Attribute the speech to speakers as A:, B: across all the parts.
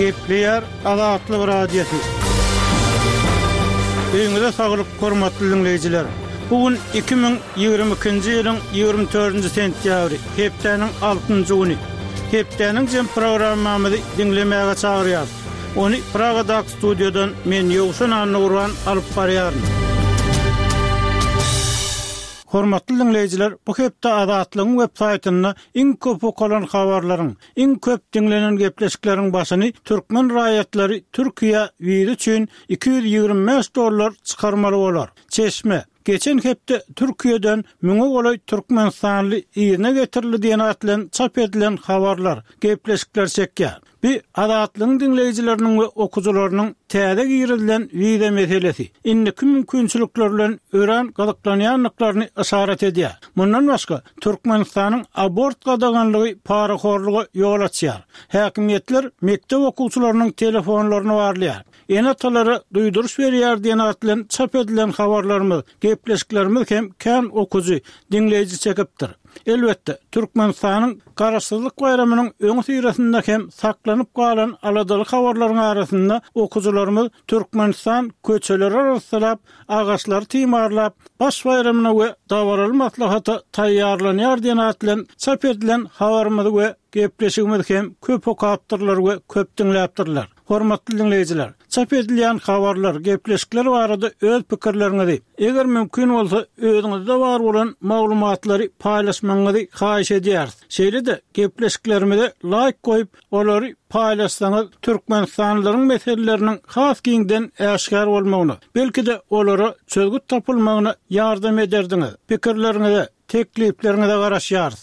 A: Gepleýär Azatlyk Radiosy. Öýüňize saglyk, hormatly diňleýjiler! Bu gün 2022-nji ýylyň 24-nji sentýabry, hepdäniň altynjy güni. Hepdäniň jem programmamyzy diňlemäge çagyrýarys. Ony Pragadaky studiýadan men Ýowşan Annagurban alyp barýaryn. Hormatly diňleýjiler, bu hepde Azatlygyň web saýtynda iň köp okalan habarlaryň, iň köp diňlenen gepleşikleriň başyny türkmen raýatlary Türkiýä wiza üçin 225 dollar çykarmaly bolar. Çeşme, Geçen hepde Türkiýeden müňe golaý türkmenistanly yzyna getirildi diýen at bilen çap edilen habarlar, gepleşikler çekýär. Bu Azatlygyň diňleýjileriniň we okyjylarynyň täze girizilen wiza meselesi, indiki mümkinçilikler bilen örän gyzyklanýandyklaryny yşarat edýär. Mundan başga, Türkmenistanyň abort gadaganlygy parahorluga ýol açýar. Häkimiýetler mekdep okuwçylarynyň telefonlaryny barlaýar. Ene-atalara duýduryş berýär diýen at bilen çap edilen habarlarymyz, gepleşiklerimiz hem kän okyjy, diňleýji çekipdir. Elbetde, Türkmenistanyň Garaşsyzlyk baýramynyň öňüsyrasynda hem saklanyp galan aladaly habarlaryň arasynda okyjylarymyz Türkmenistan köçeleri arassalap, agaçlary timarlap, Baş baýramyna we dabaraly maslahata taýýarlanýar diýen at bilen çap edilen habarymyzy we gepleşigimizi hem köp okapdyrlar we köp diňläpdirler. Hormatly diňleýjiler, çap edilýän habarlar, gepleşikler barada öz pikirleriňizi, eger mümkin bolsa, özüňizde bar bolan maglumatlary paýlaşmagyňyzy haýyş edýäris. Şeýle-de, gepleşiklerimize laýk goýup, olary paýlaşsaňyz, türkmenistanlylaryň meseleleriniň has giňden äşgär bolmagyna, belki-de, olara çözgüt tapylmagyna ýardam ederdiňiz. Pikirleriňize, Teklipleriňize garaşýarys.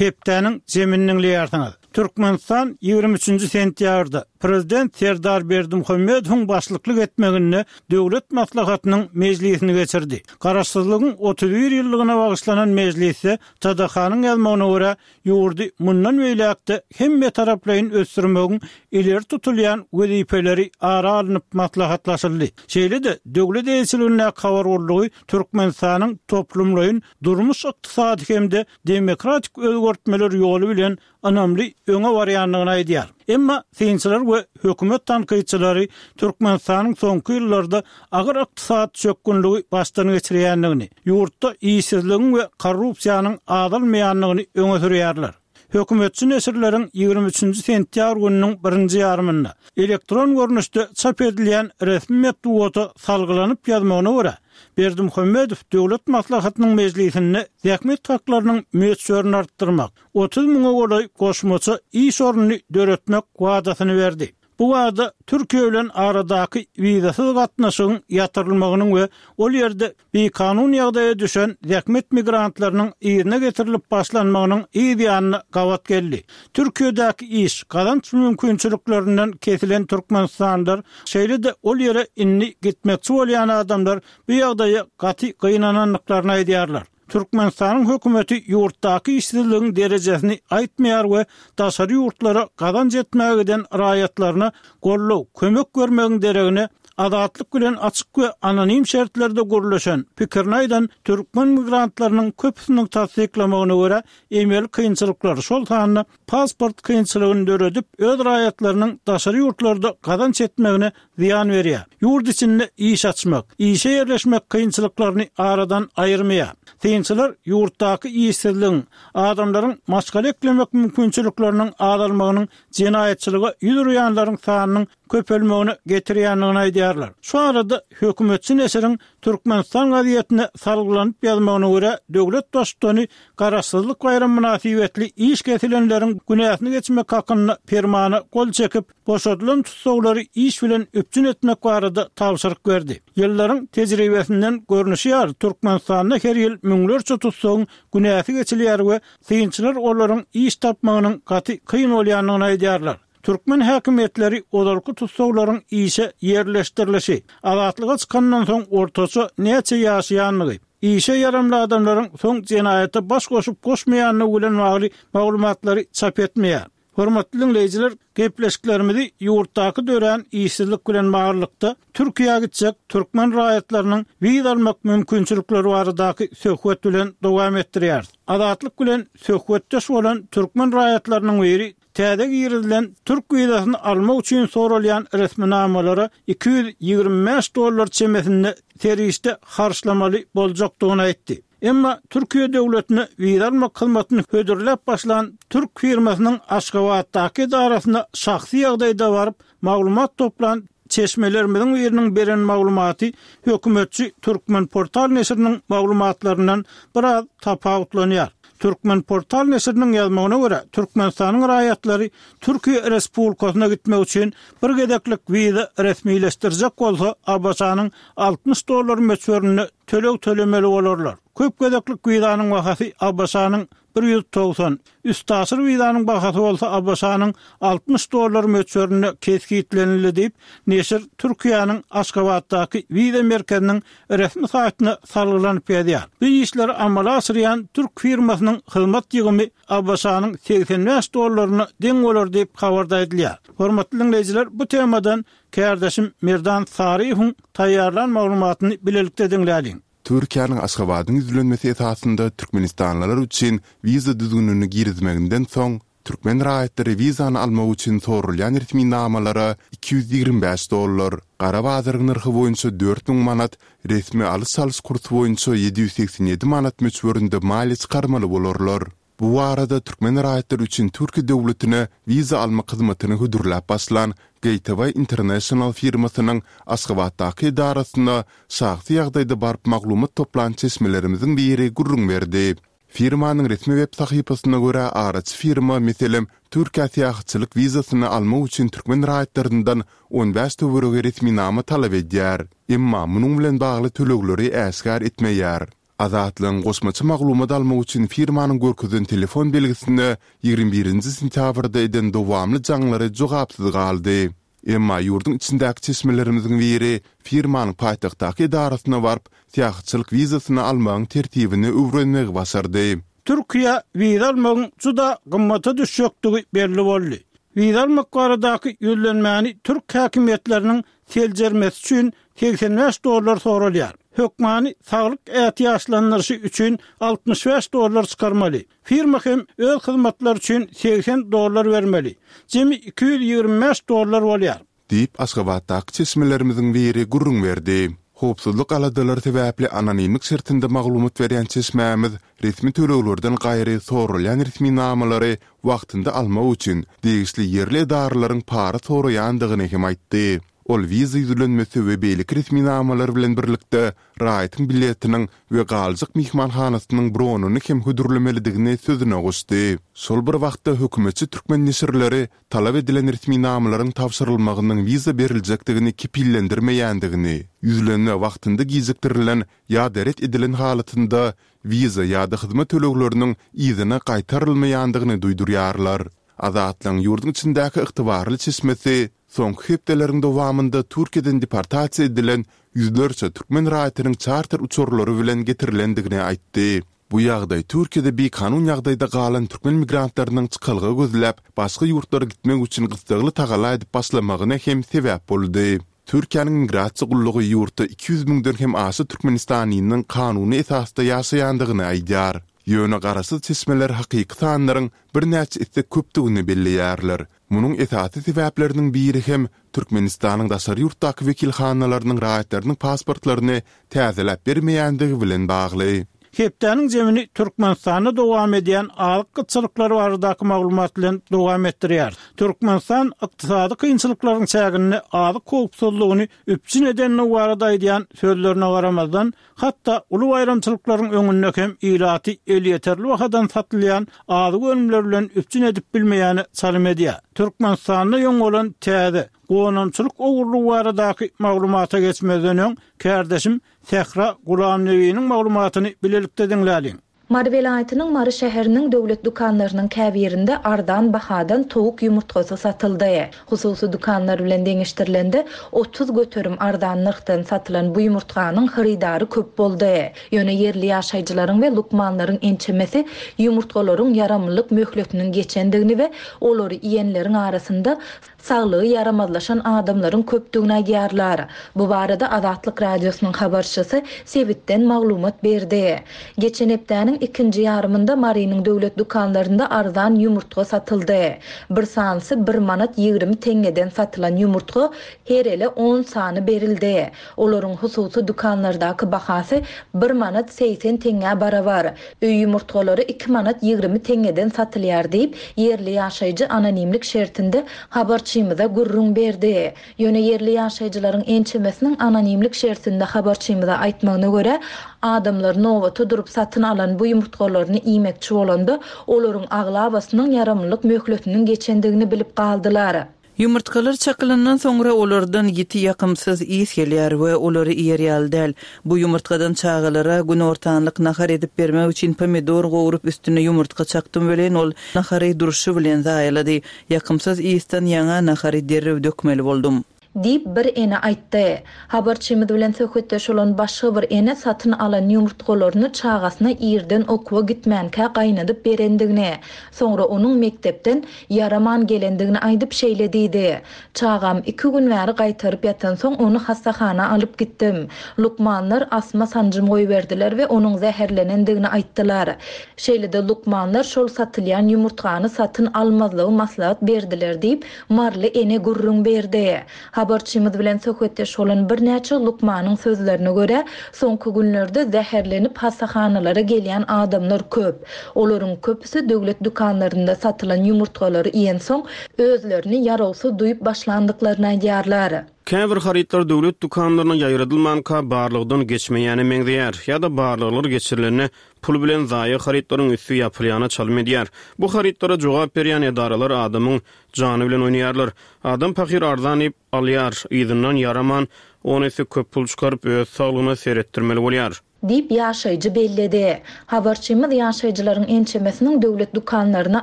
A: Hepdäniň jemini diňleýärsiňiz. Türkmenistan 23-nji sentýabrda Prezident Serdar Berdimuhamedowyň başlyklyk etmeginde Döwlet Maslahatynyň mejlisini geçirdi. Garaşsyzlygyň 31 ýyllygyna bagyşlanan mejlisde TDH-nyň ýazmagyna görä, ýurdy mundan beýläk-de hemmetaraplaýyn ösdürmegiň ileri tutulýan wezipeleri ara alnyp maslahatlaşyldy. Şeýle-de döwlet eýeçiligindäki habar gullugy Türkmenistanyň toplumlaýyn durmuş-ykdysady hem-de demokratik özgertmeler ýoly bilen ynamly öňe barýandygyny aýdýar. Emma synçylar we hökümet tankytçylary Türkmenistanyň soňky ýyllarda agyr ykdysady çökgünligi başdan geçirýändigini, ýurtda işsizligiň we korrupsiýanyň azalmaýandygyny öňe sürýärler. Hökümetçi neşirleriň 23 nji sentýabr gününiň birinji ýarymynda elektron görnüşde çap edilýän resmi metbugata salgylanyp ýazmagyna görä, Berdimuhamedow Döwlet Maslahatynyň mejlisinde zähmet haklarynyň möçberini artdyrmak, 30 müňe golaý goşmaça iş ornuny döretmek wadasyny berdi. Bu wada Türkiýe bilen aradaky wizasyz gatnaşygyň ýatyrylmagynyň we ol ýerde bikanun ýagdaýa düşen zähmet migrantlarynyň yzyna getirilip başlanmagynyň yz ýanyna gabat geldi. Türkiýedäki iş, gazanç mümkinçiliklerinden kesilen türkmenistanlylar, şeýle-de ol ýere indi gitmekçi bolýan adamlar bu ýagdaýa gaty gynanandyklaryny aýdýarlar. Türkmenistanyň hökümeti ýurtdaky işsizligiň derejesini aýtmaýar we daşary ýurtlara gazanç etmäge giden raýatlaryna goldaw, kömek bermegiň deregine, Azatlyk bilen açyk we anonim şertlerde gürleşen, pikirini aýdan türkmen migrantlarynyň köpüsiniň tassyklamagyna görä, emeli kynçylyklar, şol sanda pasport kynçylygyny döredip, öz raýatlarynyň daşary ýurtlarda gazanç etmegine zyýan berýär. Ýurt içinde iş açmak, işe ýerleşmek kynçylyklaryny aradan aýyrmaýar. Synçylar ýurtdaky işsizligiň, adamlaryň maşgala eklemek mümkinçilikleriniň azalmagynyň jenaýatçylyga ýüz urýanlaryň sanynyň köpelmegine getirýändigini aýdýarlar. Şu arada hökümetçi neşiriň Türkmenistan gazetine salgylanyp ýazmagyna görä, döwlet Baştutany Garaşsyzlyk baýramy mynasybetli iş kesilenleriň günäsini geçmek hakynda permana gol çekip, boşadylan tussaglary iş bilen üpjün etmek barada tabşyryk berdi. Ýyllaryň tejribesinden görnüşi ýaly, Türkmenistanda her ýyl müňlerçe tussagyň günäsi geçilýär we synçylar olaryň iş tapmagynyň gaty kyn bolýandygyny aýdýarlar. Türkmen häkimiýetleri ozalky tussaglaryň işe ýerleşdirilişi, azatlyga çykandan soň ortaça näçe ýaşaýandygy, işe ýaramly adamlaryň soň jenaýata baş goşup-goşmaýandygy bilen bagly maglumatlary çap etmeýär. Hormatly diňleýjiler, gepleşiklerimizi ýurtdaky dörän işsizlik bilen baglylykda Türkiýä gitjek türkmen raýatlarynyň wiza almak mümkinçilikleri baradaky söhbet bilen dowam etdirýäris. Azatlyk bilen söhbetdeş bolan türkmen raýatlarynyň biri. täze girizilen türk wizasyny almak üçin soralýan resminamalara 225 dollar çemesinde serişde harçlamaly boljakdygyny aýtdy. Emma Türkiýe döwletine wiza almak hyzmatyny hödürläp başlan türk firmasynyň Aşgabatdaky edarasyna şahsy ýagdaýda baryp, maglumat toplan çeşmelerimiziň biriniň beren maglumaty hökümetçi Türkmenportal neşiriniň maglumatlaryndan biraz tapawutlanýar. Türkmenportal neşiriniň ýazmagyna görä, Türkmenistanyň raýatlary Türkiýe Respublikasyna gitmek üçin bir gezeklik wiza resmileşdirjek bolsa, ABŞ-nyň 60 dollar möçberinde töleg tölemeli bolarlar. Köp gezeklik wizanyň bahasy ABŞ-nyň 190, üstaşyr wizanyň bahasy bolsa ABŞ-nyň 60 dollar möçberinde kesgitlenildi diýip, neşir Türkiýäniň Aşgabatdaky wiza merkeziniň resmi saýtyna salgylanyp ýazýar. Bu işleri amala aşyrýan türk firmasynyň hyzmat ýygymy ABŞ-nyň 85 dollaryna deň bolar diýip, habarda aýdylýar. Hormatly diňleýjiler, bu temadan Kärdeşim Merdan Saryýewiň taýýarlan maglumatyny bilelikde diňläliň.
B: Türkiýäniň Aşgabadyň ýüzlenmesi esasynda türkmenistanlylar üçin wiza düzgünini girizmeginden soň, türkmen raýatlary wizany almak üçin soralýan resminamalara 225 dollar, gara bazaryň nyrhy boýunça 4000 manat, resmi alyş-çalyş kursy boýunça 787 manat möçberinde maliýe çykarmaly bolarlar. Bu barada türkmen raýatlary üçin Türkiýe döwletine wiza almak hyzmatyny hödürläp başlan Gateway International firmasynyň Aşgabatdaky edarasyna şahsy ýagdaýda baryp maglumat toplan çeşmelerimiziň biri gürrüň berdi. Firmanyň resmi web sahypasyna görä, araçy firma, meselem, Türkiýä syýahatçylyk wizasyny almak üçin türkmen raýatlaryndan 15 töweregi resminama talap edýär. Emma munuň bilen bagly tölegleri äşgär etmeýär. Azatlygyň goşmaça maglumat almak üçin firmanyň görkezen telefon belgisine 21 nji sentýabrda eden dowamly jaňlary jogapsyz galdy. Emma ýurduň içindäki çeşmelerimiziň biri firmanyň paýtagtdaky edarasyna baryp, syýahatçylyk wizasyny almagyň tertibini öwrenmegi başardy.
A: Türkiýä wiza almagyň juda gymmata düşjekdigi belli boldy. Wiza almak baradaky ýüzlenmäni türk häkimiýetleriniň seljermesi üçin 85 dollar soralýar. Hökmany saglyk ätiýaçlandyryşy üçin 65 dollar çykarmaly. Firma hem öz hyzmatlary üçin 80 dollar bermeli. Jemi 225 dollar bolýar.
B: Diýip, Aşgabatdaky çeşmelerimiziň biri gürrüň berdi. Howpsuzlyk aladalary sebäpli anonimlik şertinde maglumat berýän çeşmämiz resmi töleglerden gaýry soralýan resminamalary wagtynda almak üçin degişli ýerli edaralaryň para soraýandygyny hem aýtdy. Ol wiza ýüzlenmesi we beýleki resminamalar bilen birlikde raýatyň biletiniň we galjak myhmanhanasynyň bronyny hem hödürlemelidigini sözüne goşdy. Şol bir wagtda hökümetçi türkmen neşirleri talap edilen resminamalaryň tabşyrylmagynyň wiza beriljekdigini kepillendirmeýändigini, ýüzlenme wagtynda gijikdirilen ýa-da ret edilen halatynda wiza ýa-da hyzmat tölegleriniň yzyna gaýtarylmaýandygyny duýdurýarlar. Azatlygyň ýurduň içindäki ygtybarly çeşmesi soňky hepdeleriň dowamynda Türkiýeden deportasiýa edilen ýüzlerçe türkmen raýatynyň çarter uçarlary bilen getirilendigini aýtdy. Bu ýagdaý Türkiýede bikanun ýagdaýda galan türkmen migrantlarynyň çykalga gözläp, başga ýurtlara gitmek üçin gyssagly tagalla edip başlamagyna hem sebäp boldy. Türkiýäniň Migrasiýa gullugy ýurtda 200 müňden hem aşa türkmenistanlynyň kanuny esasda ýaşaýandygyny aýdýar. Ýöne garaşsyz çeşmeler hakyky sanlaryň birnäçe esse köpdügini belleýärler. Munuň esasy sebäpleriniň biri hem Türkmenistanyň daşary ýurtdaky wekilhanalarynyň raýatlarynyň pasportlaryny täzeläp bermeýändigi bilen bagly.
A: Hepdäniň jemini Türkmenistanda dowam edýän azyk gytçylyklary baradaky maglumat bilen dowam etdirýäris. Türkmenistan ykdysady kynçylyklaryň çäginde azyk howpsuzlygyny üpjün edendigi barada aýdýan sözlerine garamazdan, hatda uly baýramçylyklaryň öňünde hem ilaty elýeterli bahadan satylýan azyk önümleri bilen üpjün edip bilmeýäne çalym edýär. Türkmenistanda ýoň bolan täze gonamçylyk ogurlygy baradaky maglumata geçmezden öň, kärdeşim Sähra Gulamnebiniň maglumatyny bilelikde diňläliň.
C: Mary welaýatynyň Mary şäheriniň döwlet dükanlarynyň käbirinde arzan bahadan towuk ýumurtgasy satyldy. Hususy dükanlar bilen deňeşdirilende, 30% arzan nyrhdan satylan bu ýumurtganyň hyrydary köp boldy. Ýöne ýerli ýaşaýjylaryň we lukmanlaryň ençemesi ýumurtgalaryň ýaramlylyk möhletiniň geçendigini we olary iýenleriň arasynda saglygy ýaramazlaşan adamlaryň köpdügini aýdýarlar. Bu barada Azatlyk Radiosynyň habarçysy sebitden maglumat berdi. Geçen hepdäniň. ikinji ýarymynda Marynyň döwlet dükanlarynda arzan ýumurtga satyldy. Bir sanysy bir manat 20 teňňeden satylan ýumurtga her ele on sany berildi. Olaryň hususy dükanlardaky bahasy bir manat 80 teňňä barabar. Öý ýumurtgalary iki manat 20 teňňeden satylýar diýip, ýerli ýaşaýjy anonimlik şertinde habarçymyza gürrüň berdi. Ýöne ýerli ýaşaýjylaryň ençemesiniň anonimlik şertinde habarçymyza aýtmagyna görä, adamlar nobata durup satyn alan bu ýumurtgalaryny iýmekçi bolanda, olaryň aglabasynyň ýaramlylyk möhletiniň geçendigini bilip galdylar.
D: Ýumurtgalar çakylandan soňra olardan ýiti ýakymsyz ys gelýär we olary iýer ýaly däl. Bu ýumurtgadan çagalara günortanlyk nahar edip bermek üçin pomidor gowrup üstüne ýumurtga çakdym welin ol nahary durşy bilen zaýalady. Ýakymsyz ysdan ýaňa nahary derrew dökmeli boldum.
C: Diýip, bir ene aýtdy. Habarçymyz bilen söhbetdeş bolan başga bir ene satyn alan ýumurtgalaryny çagasyna irden okuwa gitmänkä gaýnadyp berendigini, soňra onuň mekdepden ýaraman gelendigini aýdyp şeýle diýdi, Çagam iki gün bäri gaýtaryp ýatansoň ony hassahana alyp gitdim. Lukmanlar asma sanjym goýberdiler we onuň zäherlenendigini aýtdylar. Şeýle-de lukmanlar şol satylýan ýumurtgany satyn almazlygy maslahat berdiler diýip, maryly ene gürrüň berdi. Habarçymyz bilen söhbetdeş bolan birnäçe lukmanyň sözlerine görä, soňky günlerde zäherlenip hassahanalara gelýän adamlar köp. Olaryň köpüsi döwlet dükanlarynda satylan ýumurtgalary iýensoň, özlerini ýarawsyz duýup başlandyklaryny aýdýarlar.
E: Käbir harytlar döwlet dükanlaryna ýaýradylmanka barlagdan geçmeýäne meňzeýär ýa-da barlaglar geçirilende pul bilen zaýa harytlaryň üsti ýapylýana çalym edýär. Bu harytlara jogap berýän edaralar adamyň jany bilen oýnaýarlar. Adam pahyr arzan diýip, alýar, yzyndan ýaraman, on esse köp pul çykaryp, öz saglygyna seretdirmeli bolýar.
C: Diýip, ýaşaýjy belledi. Habarçymyz ýaşaýjylaryň ençemesiniň döwlet dükanlaryna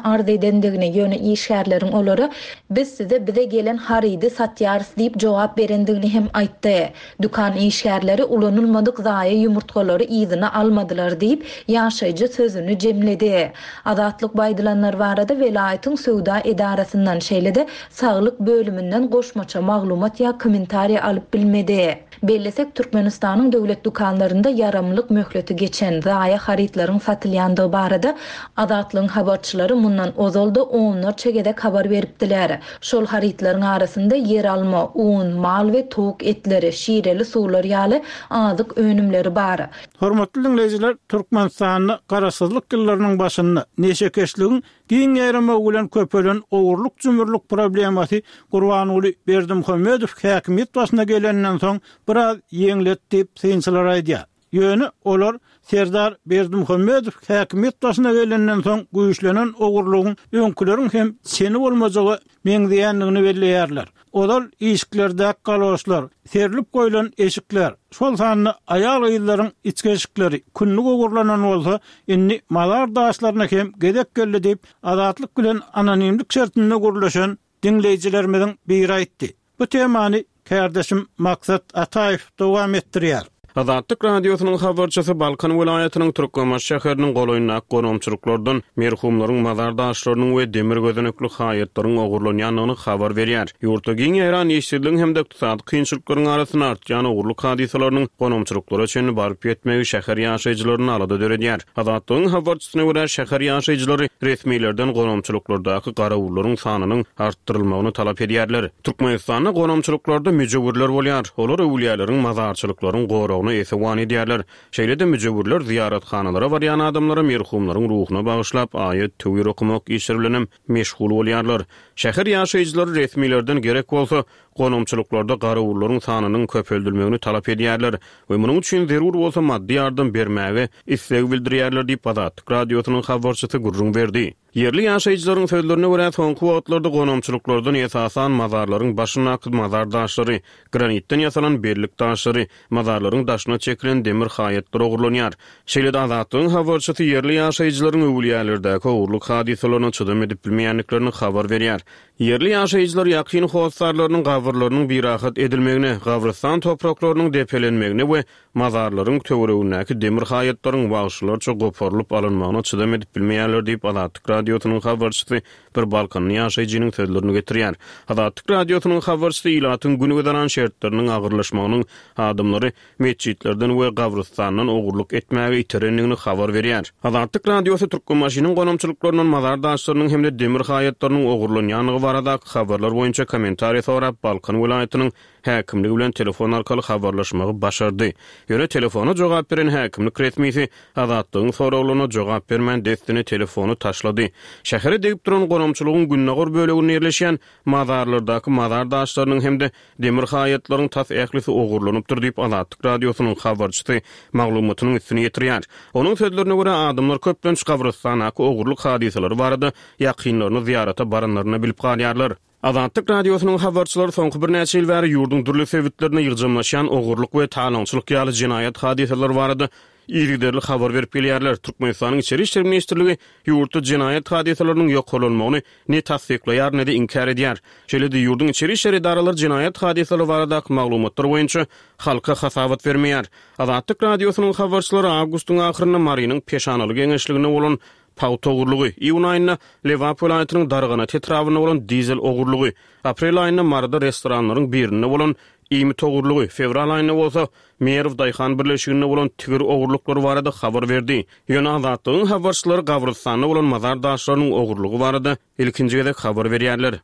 C: arz edendigini, ýöne işgärleriň olara Biz size bize gelen harydy satýarys diýip jogap berendigini hem aýtdy. Dükan işgärleri ulanylmadyk zaýa ýumurtgalary yzyna almadylar diýip, ýaşaýjy sözüni jemledi. Azatlyk bu aýdylanlar barada welaýatyň söwda edarasyndan, şeýle-de saglyk bölüminden goşmaça maglumat ýa kommentariý alyp bilmedi. Bellesek, Türkmenistanyň döwlet dükanlarynda ýaramlyk möhleti geçen, zaýa harytlaryň satylýandygy barada Azatlygyň habarçylary mundan ozal-da onlarça gezek habar beripdiler. Şol harytlaryň arasynda ýeralma, un, mal we towuk etleri, şireli suwlar ýaly azyk önümleri bar.
A: Hormatly diňleýjiler, Türkmenistanda Garaşsyzlyk ýyllarynyň başynda neşekeşligiň giň ýaýramagy bilen köpelen ogurlyk-jümürlik problemasy Gurbanguly Berdimuhamedow häkimiýet başyna gelenden soň biraz ýeňledi diýip, synçylar aýdýar. Ýöne olar Serdar Berdimuhamedow häkimiýet başyna gelenden soň güýçlenen ogurlygyň öňküleriň hem çeni bolmajaga meňzeýändigini belleýärler. Ozal işiklerdäki galoşlar, serlip goýlan eşikler, şol sanda aýal-gyzlaryň içki eşikleri kündük ogurlanan bolsa, indi mazar daşlaryna hem gezek geldi diýip, Azatlyk bilen anonimlik şertinde gürleşen diňleýjilerimiziň biri aýtdy. Bu temany kärdeşim Maksat Ataýew dowam etdirýär.
E: Azatlyk Radiosynyň habarçysy Balkan welaýatynyň Türkmenbaşy şäheriniň golaýyndaky gonamçylyklardan merhumlaryň mazar daşlarynyň we demir gözenekli haýatlaryň ogurlanýandygyny habar berýär. Ýurtda giň ýaýran işsizligiň hem-de ykdysady kynçylyklaryň arasynda artýan ogurlyk hadysalarynyň gonamçylyklara çenli baryp ýetmegi şäher ýaşaýjylarynda alada döredýär. Azatlygyň habarçysyna görä, şäher ýaşaýjylary resmilerden gonamçylyklardaky garawullaryň sanynyň artdyrylmagyny talap edýärler. Türkmenistanda gonamçylyklarda müjewürler bolýar. Olar öwülýäleriň, mazarçylyklaryň goragyna esewan edýärler. Şeýle-de müjewürler zyýarathanalara barýan adamlara merhumlaryň ruhuna bagyşlap aýat-töwir okamak işleri bilenem meşgul bolýarlar. Şäher ýaşaýjylary resmilerden gerek bolsa, gonamçylyklarda garawullaryň sanynyň köpeldilmegini talap edýärler we munuň üçin zerur bolsa maddy ýardam bermäge isleg bildirýärler diýip, Azatlyk Radiosynyň habarçysy gürrüň berdi. Ýerli ýaşaýjylaryň sözlerine görä, soňky wagtlarda gonamçylyklardan esasan mazarlaryň başyndaky mazar daşlary, granitden ýasalan bellik daşlary, mazarlaryň daşyna çekilen demir haýatlar ogurlanýar. Şeýle-de Azatlygyň habarçysy ýerli ýaşaýjylaryň öwülýälerdäki ogurlyk hadysalaryna çydam edip bilmeýändiklerini habar berýär. Ýerli ýaşaýjylar ýakyn hossarlarynyň gabryna. gabyrlarynyň birahat edilmegine, gabrystan topraklarynyň depelenmegine we mazarlaryň töweregindäki demir haýatlaryň wagşylarça goparylyp alynmagyna çydam edip bilmeýärler diýip, Azatlyk Radiosynyň habarçysy bir balkanly ýaşaýjynyň sözlerini getirýär. Azatlyk Radiosynyň habarçysy ilatyň gün-güzeran şertleriniň agyrlaşmagynyň adamlary metjitlerden we gabrystandan ogurlyk etmäge iterendigini habar berýär. Azatlyk Radiosy Türkmenbaşynyň gonamçylyklaryndan mazar daşlarynyň hem-de demir haýatlarynyň ogurlanýandygy baradaky habarlar boýunça kommentariý sorap, Balkan welaýatynyň häkimligi bilen telefon arkaly habarlaşmagy başardy. Ýöne telefona jogap beren häkimlik resmisi Azatlygyň soraglaryna jogap bermän dessine telefony taşlady. Şähere degip duran gonamçylygyň gündogar böleginde ýerleşýän mazarlardaky mazar daşlarynyň hem-de Demir haýatlaryň tas ählisi ogurlanypdyr diýip, Azatlyk Radiosynyň habarçysy maglumatynyň üstüni ýetirýär. Onuň sözlerine görä, adamlar köplenç gabrystandaky ogurlyk hadysalary barada ýakynlaryny zyýarata baranlarynda bilip galýarlar. Azatlyk Radiosynyň habarçylary soňky birnäçe ýyl bäri ýurduň dürli sebitlerinde ýygjamlaşýan ogurlyk we talaňçylyk ýaly jenaýat hadysalary barada yzygiderli habar berip gelýärler. Türkmenistanyň Içeri işler ministrligi ýurtda jenaýat hadysalarynyň ýokarlanmagyny ne tassyklaýar, ne-de inkär edýär. Şeýle-de ýurduň içeri işler edaralary jenaýat hadysalary baradaky maglumatlar boýunça halka hasabat bermeýär. Azatlyk Radiosynyň habarçylary awgustyň ahyrynda Marynyň Peşanaly geňeşliginde bolan pagta ogurlygy, iýun aýynda Lebap welaýatynyň Darganat etrabynda bolan dizel ogurlygy, aprel aýynda Maryda restoranlaryň birinde bolan iýmit ogurlygy, fewral aýynda bolsa Merw daýhan birleşiginde bolan tigir ogurlyklary barada habar berdi. Ýöne Azatlygyň habarçylary gabrystanda bolan mazar daşlarynyň ogurlygy barada ilkinji gezek habar berýärler.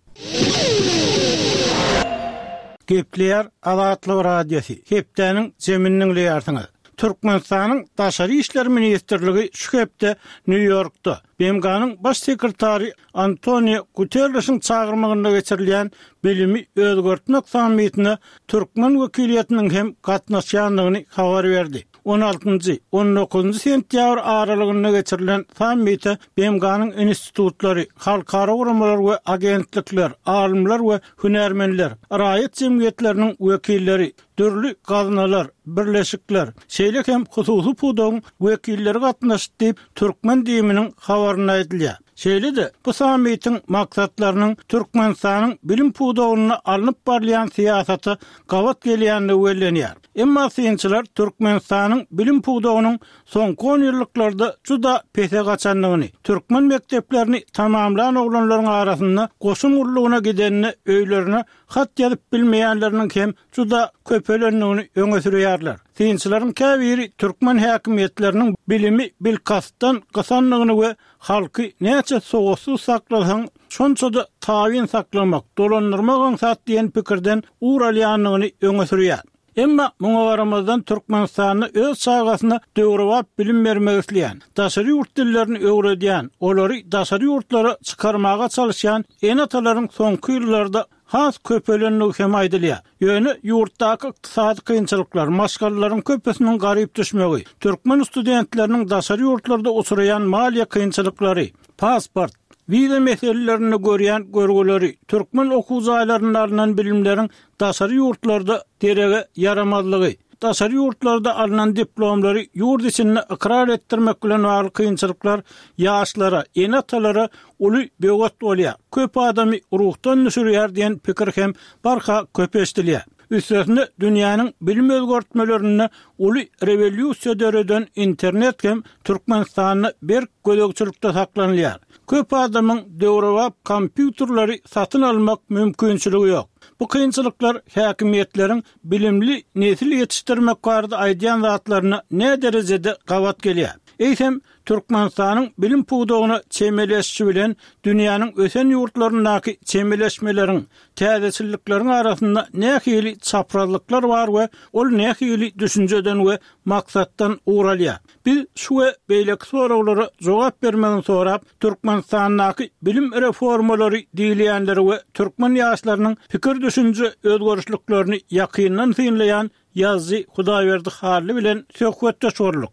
A: Gepleýär Azatlyk Radiosy, Hepdäniň jemini diňleýärsiňiz. Türkmenistanyň Daşary işler ministrligi şu hepde Nýu-Ýorkda, BMG-niň Baş sekretary Antonio Guterrişiň çagyrmagynda geçirilýän Bilimi özgertmek sammitine türkmen wekiliýetiniň hem gatnaşýandygyny habar berdi. On altynjy, on dokuzynjy sentýabr aralygynda geçirilen sammite BMG-niň institutlary, halkara guramalar we agentlikler, alymlar we hünärmenler, raýat jemgyýetleriniň wekilleri, dürli gaznalar, birleşikler, şeýle hem hususy pudagyň wekilleri gatnaşdy diýip, türkmen DIM-niň habarynda aýdylýar. Şeýle-de, bu sammitiň maksatlarynyň Türkmenistanyň bilim pudagynda alnyp barylýan syýasata gabat gelýändigi bellenýär. Emma synçylar Türkmenistanyň bilim pudagynyň soňky onýyllyklarda juda pese gaçandygyny, türkmen mekdeplerini tamamlan oglanlaryň arasynda goşun gullugyna gidende öýlerine hat ýazyp bilmeýänleriniň hem juda köpelendigini öňe sürýärler. Synçylaryň käbiri türkmen häkimiýetleriniň bilimi bilkastdan gysandygyny we halky näçe sowatsyz saklasaň, şonça-da tabyn saklamak, dolandyrmak aňsat diýen pikirden ugur alýandygyny öňe sürýär. Emma muňa garamazdan Türkmenistanda öz çagasyna döwrebap bilim bermek isleýän, daşary ýurt dillerini öwredýän, olary daşary ýurtlara çykarmaga çalyşýan ene-atalaryň soňky ýyllarda has köpelendigi hem aýdylýar. Ýöne ýurtdaky ykdysady kynçylyklar, maşgalalaryň köpüsiniň garyp düşmegi, türkmen studentleriniň daşary ýurtlarda uçraýan maliýe kynçylyklary, pasport, wiza meselelerinde görýän görgüleri, türkmen okuw jaýlarynda alnan bilimleriň daşary ýurtlarda derege ýaramazlygy, daşary ýurtlarda alnan diplomlary ýurt içinde ykrar etdirmek bilen bagly kynçylyklar ýaşlara, ene-atalara uly böwet bolýar, köp adamy ruhdan düşürýär diýen pikir hem barha köp eşidilýär. Üstesine dünýäniň bilim özgertmelerinde uly rewolýusiýa döreden internet hem Türkmenistanda berk gözegçilikde saklanylýar. Köp adamyň döwrebap kompýuterleri satyn almak mümkinçiligi ýok. Bu kynçylyklar häkimiýetleriň bilimli nesil ýetişdirmek barada aýdýan zatlaryna näderejede gabat gelýär? Eýsem, Türkmenistanyň bilim pudagyna çemeleşişi bilen dünýäniň ösen ýurtlaryndaky çemeleşmeleriň, täzeçillikleriň arasynda nähili çaprazlyklar bar we ol nähili düşünjeden we maksatdan ugur alýar? Biz şu we beýleki soraglara jogap bermegini sorap, Türkmenistandaky bilim reformalary diýilýänleri we türkmen ýaşlarynyň pikir-düşünje özgerişliklerini ýakyndan synlaýan Ýazyjy Hudaýberdi Hally bilen söhbetdeş bolduk.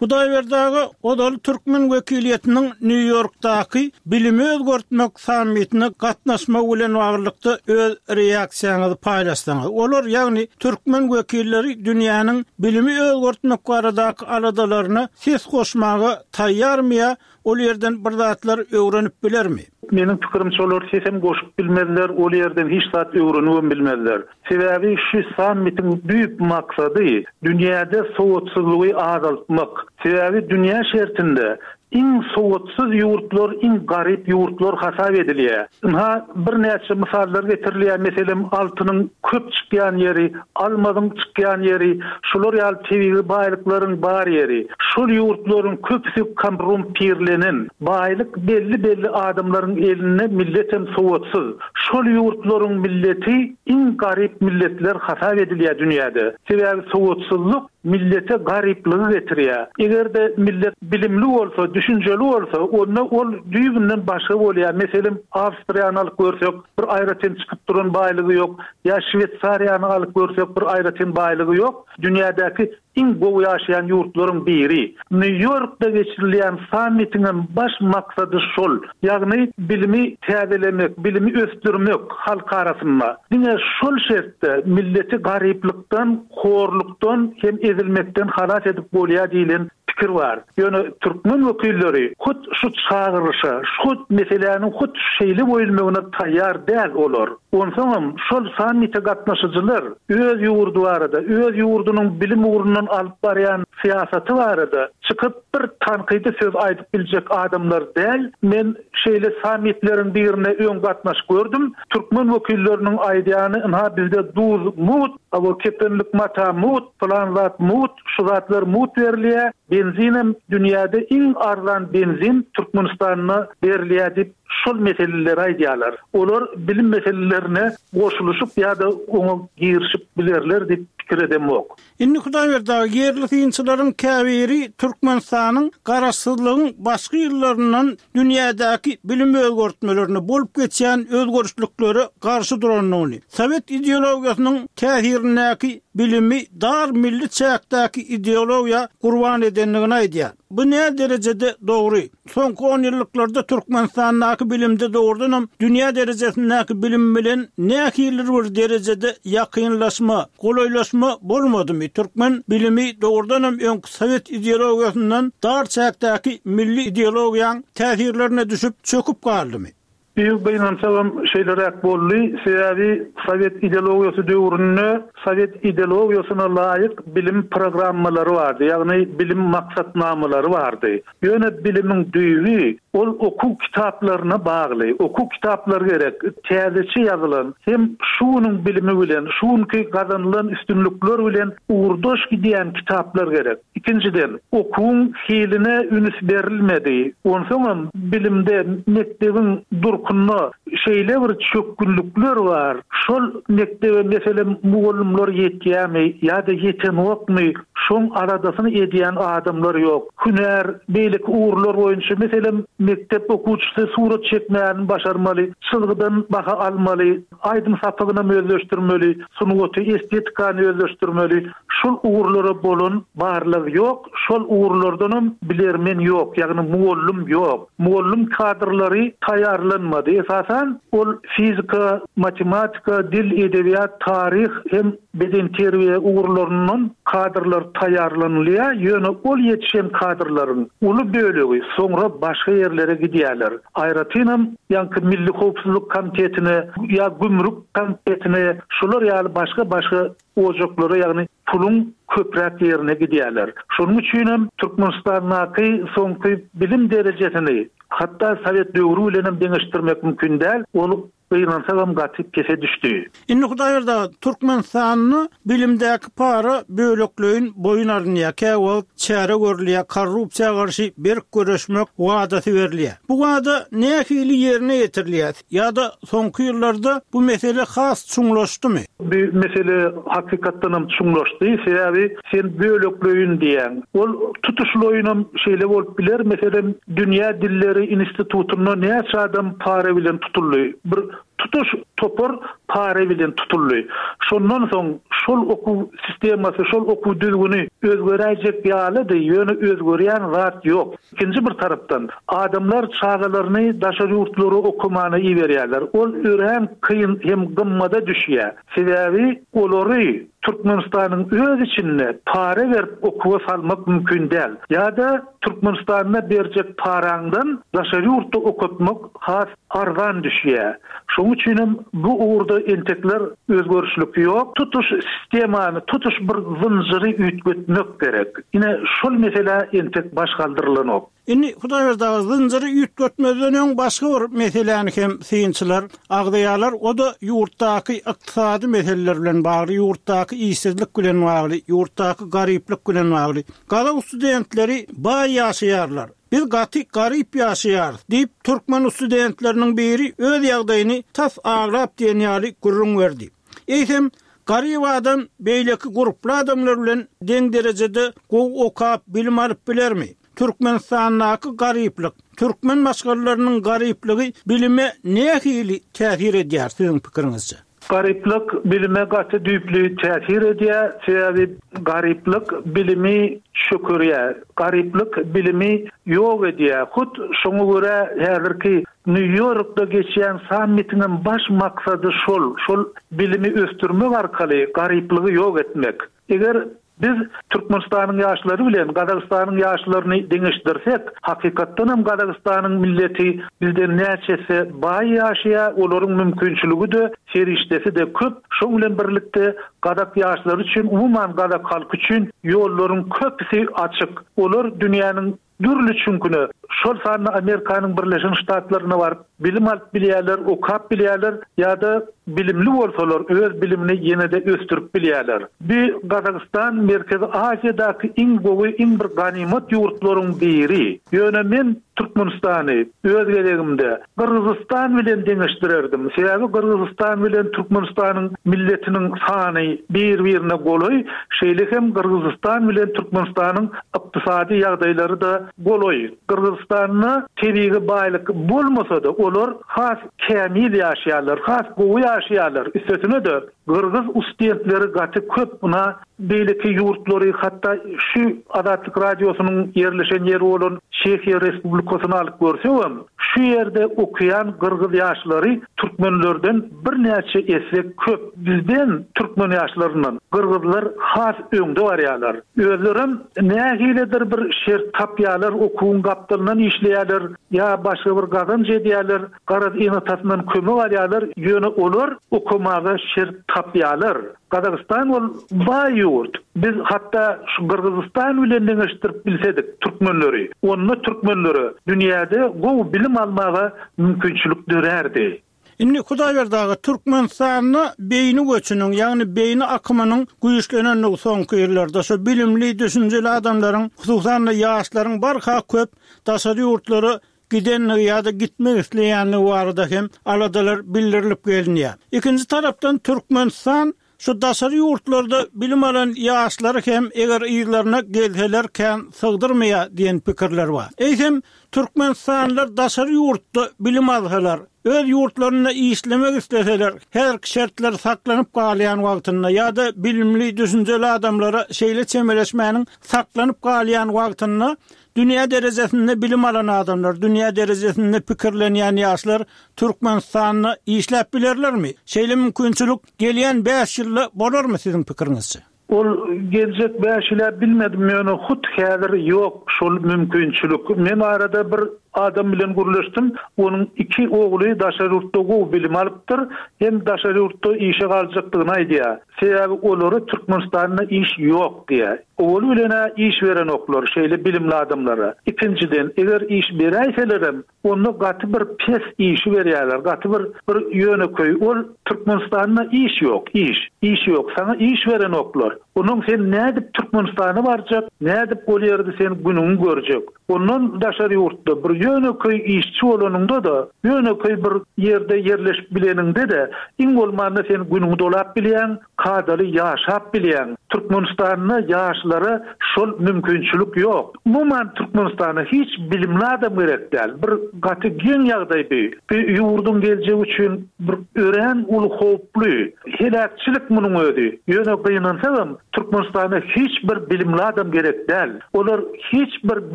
A: Hudaýberdi aga ozal türkmen wekiliýetiniň Nýu-Ýorkdaky bilimi özgertmek sammitine gatnaşmagy bilen baglylykda öz reaksiýaňyzy paýlaşsaňyz. Olar, ýagny türkmen wekilleri dünýäniň bilimi özgertmek baradaky aladalaryna ses goşmaga taýýarmy ýa ol ýerden bir zatlar öwrenip bilermi?
F: Meniň pikirimçe olar sesem goşup bilmezler, ol ýerden hiç zat öwrenibem bilmezler. Sebäbi şu sammitiň düýp maksady dünýäde sowatsyzlygy azaltmak. Sebäbi dünýä şertinde iň sowatsyz ýurtlar iň garyp ýurtlar hasap edilýär. Ynha birnäçe mysallar getirilýär, meselem altynyň köp çykýan ýeri, almazyň çykýan ýeri, şular ýaly tebigy baýlyklaryň bar ýeri. Şol ýurtlaryň köpüsi korrumpirlenen, baýlyk belli-belli adamlaryň elinde milletem sowatsyz. Şol ýurtlaryň milleti iň garyp milletler hasap edilýär dünýäde. Sebäbi sowatsyzlyk millete garyplygy getirýär. Eger-de millet bilimli bolsa, düşünjeli bolsa, onda ol düýbünden başga bolýar. Meselem, Awstriýany alyp görsek, bir aýratyn çykyp duran baýlygy ýok. Ýa Şweýsariýany alyp görsek, bir aýratyn baýlygy ýok. Dünýädäki iň gowy ýaşaýan ýurtlaryň biri. Nýu-Ýorkda geçirilýän sammitiňem baş maksady şol, ýagny bilimi täzelemek, bilimi ösdürmek halk arasynda. Diňe şol şertde milleti garyplykdan, horlukdan hem ezilmekden halas edip bolýar diýlen pikir bar. Ýöne türkmen wekilleri hut şu çagyryşa, hut meseläniň hut şeýle goýulmagyna taýýar däl olar. Onsoňam şol sammite gatnaşyjylar öz ýurdy barada, öz ýurdunyň bilim ugrundan alyp barýan syýasaty barada çykyp bir tankydy söz aýdyp biljek adamlar däl. Men şeýle sammitleriň birine öň gatnaşyp gördüm. Türkmen wekilleriniň aýdýany ynha bizde duz mugt, hawa kepenlik mata mugt, pylan zat mugt, şu zatlar mugt berilýär, benzinem dünýäde iň arzan benzin Türkmenistanda berilýär diýip şol meseleleri aýdýarlar. Olar bilim meselelerine goşulyşyp ýa-da oňa girişip bilerler diýip pikir edemok.
A: Indi Hudaýberdi aga, ýerli synçylaryň käbiri Türkmenistanyň garaşsyzlygyň başky ýyllaryndan dünýädäki bilim özgertmelerine, bolup geçýän özgerişliklere garşy durandygyny, sowet ideologiýasynyň täsirindäki bilimi dar milli çäkdäki ideologiýa gurban edendigini aýdýar. Bu näderejede dogry? Soňky onýyllyklarda Türkmenistandaky bilimde dogrudanam dünýä derejesindäki bilim bilen nähilidir bir derejede ýakynlaşma, golaýlaşma bolmadymy? Türkmen bilimi dogrudanam öňki sowet ideologiýasyndan dar çäkdäki milli ideologiýaň täsirlerine düşüp, çöküp galdymy?
F: Biz gynansagam şeýleräk boldy, sebäbi sowet ideologiýasy döwründe sowet ideologiýasyna laýyk bilim programmalary bardy, ýagny bilim maksatnamalary bardy. Ýöne bilimiň düýbi ol okuw kitaplaryna bagly. Okuw kitaplary gerek, täzeçe ýazylan hem şu günüň bilimi bilen, şu günki gazanylan üstünlikler bilen ugurdaş gidýän kitaplar gerek. Ikinjiden, okuwyň hiline üns berilmedi. Onsoňam bilimde, mekdebiň durkunda şeýle bir çökgünlikler bar, şol mekdebe meselem mugallymlar ýetýärmi ýa-da ýetenokmy, şoň aladasyny edýän adamlar ýok. Hünär, beýleki ugurlar boýunça, meselem, mekdep okuwçysy surat çekmäni başarmaly, çyzgydan baha almaly, aýdym sapagynam özleşdirmeli, sungaty, estetikany özleşdirmeli. Şol ugurlara bolan barlag ýok, şol ugurlardanam bilermen ýok, ýagny mugallym ýok. Mugallym kadrlary taýýarlanmady. Esasan, ol fizika, matematika, dil, edebiýat, taryh hem bedenterbiýe ugurlaryndan kadrlar taýýarlanylýar, ýöne ol ýetişen kadrlaryň uly bölegi soňra başga ýerlere gidýärler. Aýratynam, ýaňky Milli howpsuzlyk komitetine ýa gümrük komitetine, şular ýaly başga-başga ojaklara, ýagny puluň köpräk ýerine gidýärler. Şonuň üçinem Türkmenistandaky soňky bilim derejesini hatda sowet döwri bilenem deňeşdirmek mümkin däl, ol gynansagam gaty pese düşdi.
A: Indi Hudaýberdi aga, Türkmenistanda bilimdäki para bölekleýin boýun alynýar, käwagt çäre görülýär, korrupsiýa garşy berk göreşmek wadasy berilýär. Bu wada nähili ýerine ýetirilýär? Ýa-da soňky ýyllarda bu mesele has çuňlaşdymy?
F: Bu mesele hakykatdanam çuňlaşdy. Sebäbi sen bölekleýin diýýäň. Ol tutuşlaýynam şeýle bolup biler. Meselem, Dünýä dilleri institutynda näçe adam para bilen tutuldy? Bir tutuş topar. para bilen tutuldy. Şondan soň şol okuw sistemasy, şol okuw düzgüni özgeräýjek ýalydy, ýöne özgerýän zat ýok. Ikinji bir tarapdan, adamlar çagalaryny daşary ýurtlara okamana iberýärler. Ol örän kyn hem gymmada düşýär. Sebäbi olary Türkmenistanyň öz içinde para berip okuwa salmak mümkin däl. Ýa-da Türkmenistanda berjek paraňdan daşary ýurtda okatmak has arzan düşýär. Şonuň üçinem bu ugurda entekler özgerişlik ýok. Tutuş sistemany, tutuş bir zynjyry üýtgetmek gerek. Ine, şol meselä entek baş galdyrylanok.
A: Indi, Hudaýberdi aga, zynjyry üýtgetmezden öň başga bir meseläni hem synçylar agzaýarlar, o-da ýurtdaky ykdysady meseleler bilen bagly, ýurtdaky işsizlik bilen bagly, ýurtdaky garyplyk bilen bagly. Gazak studentleri baý ýaşaýarlar. Biz gaty garyp ýaşaýarys, diýip, türkmen studentleriniň biri öz ýagdaýyny tas aglap diýen ýaly gürrüň berdi. Eýsem, garyp adam beýleki gurply adamlar bilen deň derejede gowy okap, bilim alyp bilermi? Türkmenistandaky garyplyk, türkmen maşgalalarynyň garyplygy bilime nähili täsir edýär, siziň pikiriňizçe?
F: Garyplyk bilime gaty düýpli täsir edýär, sebäbi garyplyk bilimi çökerýär, garyplyk bilimi ýok edýär. Hut şoňa görä häzirki Nýu-Ýorkda geçýän sammitiňem baş maksady şol, şol bilimi ösdürmek arkaly garyplygy ýok etmek. Eger biz Türkmenistanyň ýaşlary bilen Gazagystanyň ýaşlaryny deňeşdirsek, hakykatdanam Gazagystanyň milleti bizden näçe esse baý ýaşaýar, olaryň mümkinçiligi-de, serişdesi-de köp, şoň bilen birlikde gazak ýaşlary üçin, umuman gazak halky üçin ýollaryň köpüsi açyk. Olar dünýäniň Dürli çüňküne, şol sanda Amerikanyň Birleşen Ştatlaryna baryp bilim alyp bilýärler, okap bilýärler ýa-da bilimli bolsalar öz bilimini ýene-de ösdürip bilýärler. Bu Gazagystan Merkezi Aziýadaky iň gowy, iň bir ganymat ýurtlaryň biri. Ýöne men Türkmenistany öz gezegimde Gyrgyzystan bilen deňeşdirerdim. Sebäbi Gyrgyzystan bilen Türkmenistanyň milletiniň sany bir-birine golaý, şeýle hem Gyrgyzystan bilen Türkmenistanyň ykdysady ýagdaýlary-da golaý. Gyrgyzystanda tebigy baýlyk bolmasa-da, olar has kämil ýaşaýarlar, has gowy ýaşaýarlar. Üstesine-de, gyrgyz ustdentleri gaty köp. Ynha, beýleki ýurtlary, hatda şu Azatlyk Radiosynyň ýerleşen ýeri bolan Çehiýa Respublikasyny alyp görsegem, şu ýerde okaýan gyrgyz ýaşlary türkmenlerden birnäçe esse köp. Bizden, türkmen ýaşlaryndan, gyrgyzlar has öňde barýarlar. Özlerem nähilidir bir şert tapýarlar, okuwyň gapdalyndan işleýärler ýa başga bir gazanç edýärler, garaz ene-atasyndan kömek alýarlar, ýöne olar okamaga şert tapýarlar. Gazagystan ol baý ýurt. Biz hatda şu Gyrgyzystan bilen deňeşdirip bilsedik türkmenleri, onda türkmenlere dünýäde gowy bilim almaga mümkinçilik dörärdi.
A: Indi Hudaýberdi aga, Türkmenistanda beýni göçüniň, ýagny beýni akymynyň güýçlenendigi soňky ýyllarda, şo bilimli, düşünjeli adamlaryň, hususan-da ýaşlaryň barha köp daşary ýurtlara gidendigi ýa-da gitmek isleýändigi barada hem aladalar bildirilip gelinýär. Ikinji tarapdan Türkmenistan Şu daşary ýurtlarda bilim alan ýaşlary hem eger yzlaryna gelseler kän sygdyrmaýar diýen pikirler bar. Eýsem, türkmenistanlylar daşary ýurtda bilim alsalar, öz ýurtlarynda işlemek isleseler, häzirki şertler saklanyp galýan wagtynda ýa-da bilimli, düşünjeli adamlara şeýle çemeleşmäniň saklanyp galýan wagtynda dünýä derejesinde bilim alan adamlar, dünýä derejesinde pikirlenýän ýaşlar Türkmenistanda işläp bilerlermi? Şeýle mümkinçilik gelýän bäş ýylda bolarmy siziň pikiriňizçe?
F: Ol geljek bäş ýyla bilmedim ýöne hut häzir ýok şol mümkinçilik. Men arada bir adam bilen gürleşdim. Onuň iki ogly daşary ýurtda gowy bilim alypdyr hem daşary ýurtda işe galjakdygyny aýdýar. Sebäbi olara Türkmenistanda iş ýok diýýär. Owaly bilen-ä iş berenoklar şeýle bilimli adamlara. Ikinjiden eger iş beräýselerem Onda gaty bir pes işi berýärler, gaty bir bir ýönekeý. Ol Türkmenistanda iş ýok, iş. Iş ýok, saňa iş berenoklar. Onuň sen nädip Türkmenistana barjak, nädip ol ýerde sen günüňi görjek? Ondan daşary ýurtda bir ýönekeý işçi bolanyňda-da, ýönekeý bir ýerde ýerleşip bileniňde-de, iň bolmanda sen günüňi dolap bilýäň, kadaly ýaşap bilýäň. Türkmenistanda ýaşlara şol mümkinçilik ýok. Umuman Türkmenistana hiç bilimli adam gerek däl. Bir gaty geň ýagdaý bi. Bi ýurduň geljegi üçin bir örän uly howply. Heläkçilik munuň özi. Ýöne gynansagam Türkmenistana hiç bir bilimli adam gerek däl. Olar hiç bir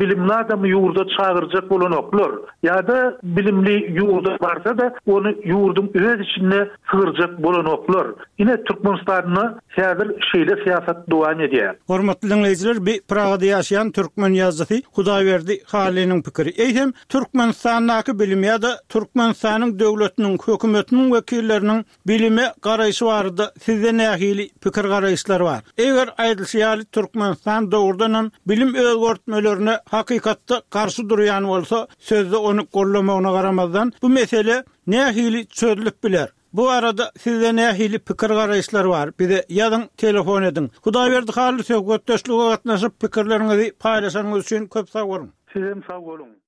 F: bilimli adamy ýurda çagyrjak bolanoklar. Ýa-da bilimli ýurda barsa-da ony ýurduň öz içinde sygyrjak bolanoklar. Ine Türkmenistanda häzir şeýle syýasat dowam edýär.
A: Hormatly diňleýjiler bi Pragada ýaşaýan türkmen ýazyjysy Hudaýberdi Hallynyň pikiri. Eýsem Türkmenistandaky bilim ýa-da Türkmenistanyň döwletiniň, hökümetiniň wekilleriniň Bilime garaýşy barada sizde nähili pikir-garaýyşlar bar? Eger aýdylyşy ýaly Türkmenistan dogrudanam bilim özgertmelerine hakykatda garşy durýan bolsa, sözde ony goldamagyna garamazdan, bu mesele nähili çözlüp biler? Bu barada sizde nähili pikir-garaýyşlar bar? Bize ýazyň, telefon ediň. Hudaýberdi Hally söhbetdeşlige gatnaşyp pikirleriňizi paýlaşanyňyz üçin köp sag boluň!
F: Sizem sag boluň!